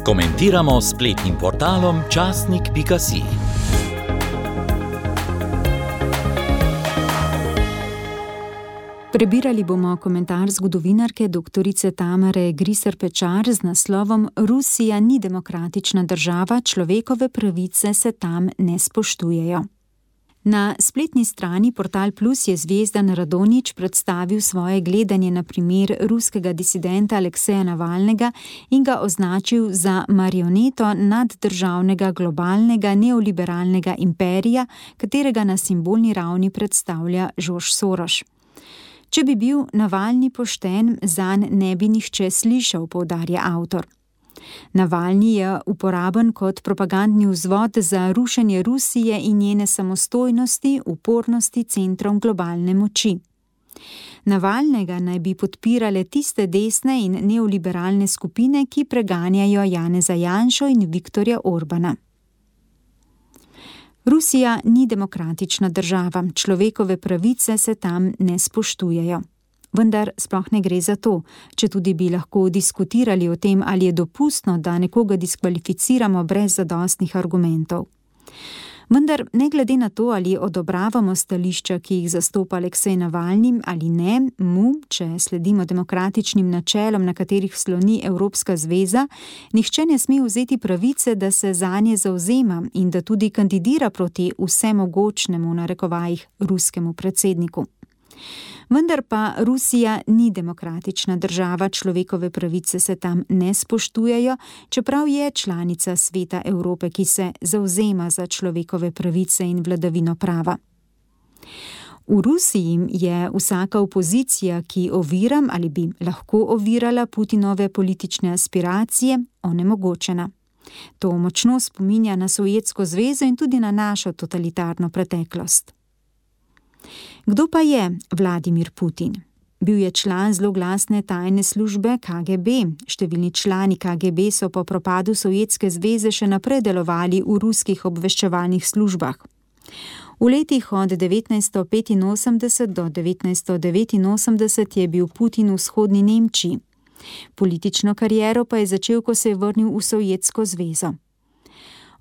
Komentiramo s spletnim portalom časnik.si. Prebirali bomo komentar zgodovinarke doktorice Tamare Griser-Pečar z naslovom Rusija ni demokratična država, človekove pravice se tam ne spoštujejo. Na spletni strani Portal Plus je Zvezdan Radonjić predstavil svoje gledanje na primer ruskega disidenta Alekseja Navalnega in ga označil za marioneto naddržavnega globalnega neoliberalnega imperija, katerega na simbolni ravni predstavlja George Soros. Če bi bil Navalni pošten, zanj ne bi nihče slišal, poudarja avtor. Navalni je uporaben kot propagandni vzvod za rušenje Rusije in njene samostojnosti, upornosti centrom globalne moči. Navalnega naj bi podpirale tiste desne in neoliberalne skupine, ki preganjajo Janeza Janšo in Viktorja Orbana. Rusija ni demokratična država, človekove pravice se tam ne spoštujejo. Vendar sploh ne gre za to, četudi bi lahko diskutirali o tem, ali je dopustno, da nekoga diskvalificiramo brez zadostnih argumentov. Vendar ne glede na to, ali odobravamo stališča, ki jih zastopa Aleksej Navalni ali ne, če sledimo demokratičnim načelom, na katerih sloni Evropska zveza, nihče ne sme vzeti pravice, da se zanje zavzema in da tudi kandidira proti vsemogočnemu, v narekovajih, ruskemu predsedniku. Vendar pa Rusija ni demokratična država, človekove pravice se tam ne spoštujejo, čeprav je članica Sveta Evrope, ki se zavzema za človekove pravice in vladavino prava. V Rusiji je vsaka opozicija, ki ovira ali bi lahko ovirala Putinove politične aspiracije, onemogočena. To močno spominja na Sovjetsko zvezo in tudi na našo totalitarno preteklost. Kdo pa je Vladimir Putin? Bil je član zloglasne tajne službe KGB. Številni člani KGB so po propadu Sovjetske zveze še naprej delovali v ruskih obveščevalnih službah. V letih od 1985 do 1989 je bil Putin v vzhodni Nemčiji. Politično kariero pa je začel, ko se je vrnil v Sovjetsko zvezo.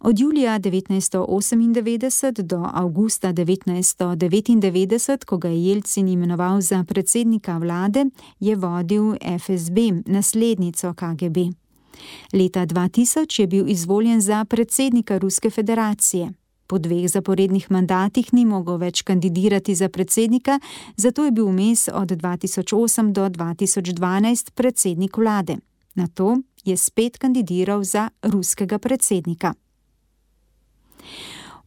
Od julija 1998 do avgusta 1999, ko ga je Jelcin imenoval za predsednika vlade, je vodil FSB, naslednico KGB. Leta 2000 je bil izvoljen za predsednika Ruske federacije. Po 2 zaporednih mandatih ni mogel več kandidirati za predsednika, zato je bil vmes od 2008 do 2012 predsednik vlade. Nato je spet kandidiral za ruskega predsednika.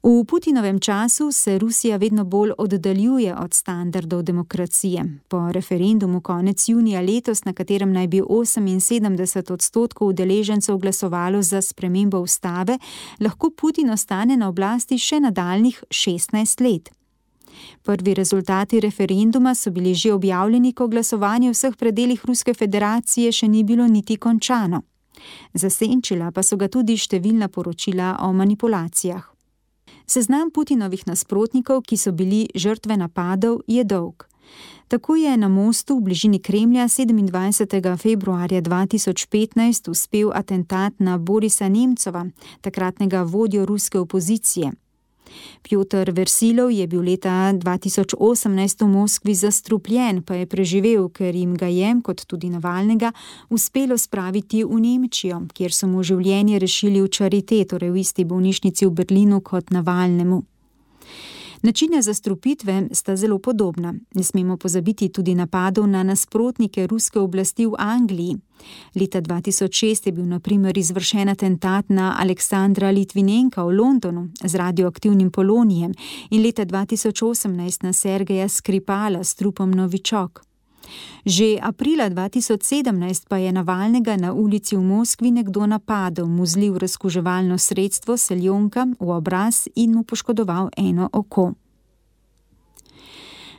V Putinovem času se Rusija vedno bolj oddaljuje od standardov demokracije. Po referendumu konec junija letos, na katerem naj bi 78% udeležencev glasovalo za spremembo ustave, lahko Putin ostane na oblasti še nadaljnjih 16 let. Prvi rezultati referenduma so bili že objavljeni, ko glasovanje v vseh predelih Ruske federacije še ni bilo niti končano. Zasenčila pa so ga tudi številna poročila o manipulacijah. Seznam Putinovih nasprotnikov, ki so bili žrtve napadov, je dolg. Tako je na mostu v bližini Kremlja 27. februarja 2015 uspel atentat na Borisa Nemcova, takratnega vodjo ruske opozicije. Pjotr Versilov je bil leta 2018 v Moskvi zastrupljen, pa je preživel, ker jim ga je, kot tudi Navalnega, uspelo spraviti v Nemčijo, kjer so mu življenje rešili v Charité, torej v isti bolnišnici v Berlinu kot Navalnemu. Načine zastrupitve sta zelo podobna. Ne smemo pozabiti tudi napadov na nasprotnike ruske oblasti v Angliji. Leta 2006 je bil na primer izvršen atentat na Aleksandra Litvinenka v Londonu z radioaktivnim polonijem in leta 2018 na Sergeja Skripala s trupom Novičok. Že aprila 2017 pa je Navalnega na ulici v Moskvi nekdo napadel, mu zlil razkuževalno sredstvo seljonka v obraz in mu poškodoval eno oko.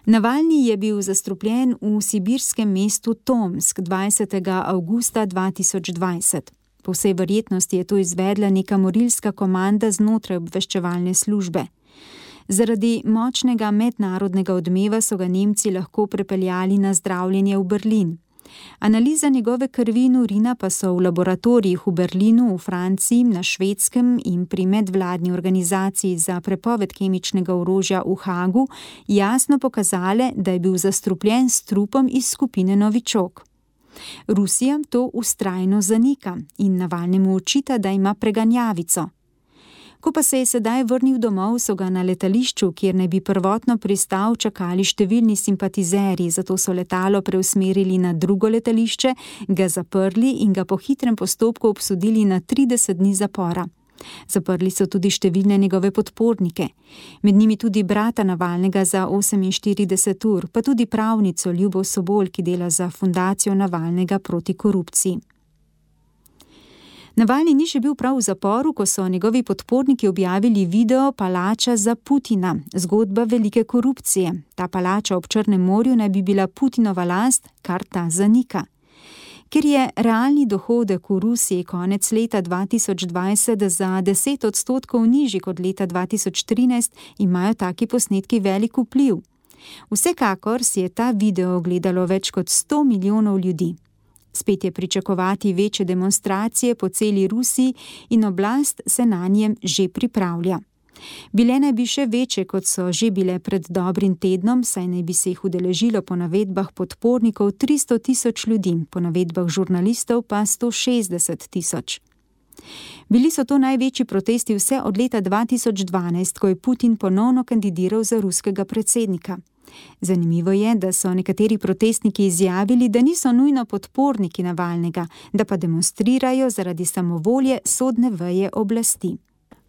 Navalni je bil zastrupljen v sibirskem mestu Tomsk 20. avgusta 2020. Po vsej verjetnosti je to izvedla neka morilska komanda znotraj obveščevalne službe. Zaradi močnega mednarodnega odmeva so ga Nemci lahko prepeljali na zdravljenje v Berlin. Analiza njegove krvi in urina pa so v laboratorijih v Berlinu, v Franciji, na Švedskem in pri medvladni organizaciji za prepoved kemičnega orožja v Hagu jasno pokazale, da je bil zastrupljen s trupom iz skupine Novičok. Rusija to vztrajno zanika in Navalnemu očita, da ima preganjavico. Ko pa se je sedaj vrnil domov, so ga na letališču, kjer naj bi prvotno pristal, čakali številni simpatizerji, zato so letalo preusmerili na drugo letališče, ga zaprli in ga po hitrem postopku obsodili na 30 dni zapora. Zaprli so tudi številne njegove podpornike, med njimi tudi brata Navalnega za 48 ur, pa tudi pravnico Ljubo Sobol, ki dela za fundacijo Navalnega proti korupciji. Navalni ni še bil prav v zaporu, ko so njegovi podporniki objavili video Palača za Putina, zgodba velike korupcije. Ta palača ob Črnem morju naj bi bila Putinova last, kar ta zanika. Ker je realni dohodek v Rusiji konec leta 2020 za 10% nižji kot leta 2013, imajo taki posnetki velik vpliv. Vsekakor si je ta video ogledalo več kot 100 milijonov ljudi. Spet je pričakovati večje demonstracije po celi Rusiji in oblast se na njem že pripravlja. Bile naj bi še večje, kot so že bile pred dobrim tednom, saj naj bi se jih udeležilo po navedbah podpornikov 300 tisoč ljudi, po navedbah žurnalistov pa 160 tisoč. Bili so to največji protesti vse od leta 2012, ko je Putin ponovno kandidiral za ruskega predsednika. Zanimivo je, da so nekateri protestniki izjavili, da niso nujno podporniki Navalnega, da pa demonstrirajo zaradi samovolje sodne veje oblasti.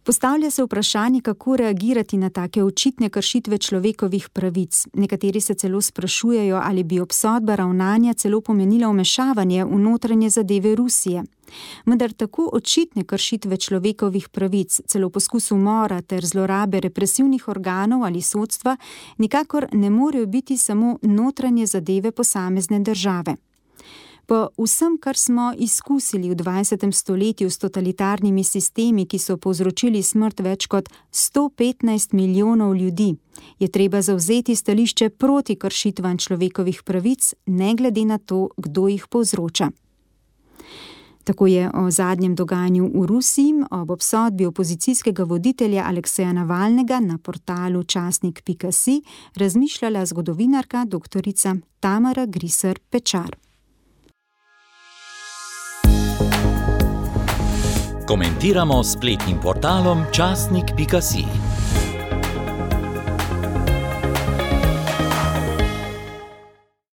Postavlja se vprašanje, kako reagirati na take očitne kršitve človekovih pravic. Nekateri se celo sprašujejo, ali bi obsodba ravnanja celo pomenila vmešavanje v notranje zadeve Rusije. Vendar tako očitne kršitve človekovih pravic, celo poskus umora ter zlorabe represivnih organov ali sodstva, nikakor ne morejo biti samo notranje zadeve posamezne države. Po vsem, kar smo izkusili v 20. stoletju s totalitarnimi sistemi, ki so povzročili smrt več kot 115 milijonov ljudi, je treba zavzeti stališče proti kršitvam človekovih pravic, ne glede na to, kdo jih povzroča. Tako je o zadnjem dogajanju v Rusiji ob obsodbi opozicijskega voditelja Alekseja Navalnega na portalu časnik.si razmišljala zgodovinarka dr. Tamara Griser Pečar. Komentiramo s spletnim portalom časnik.si.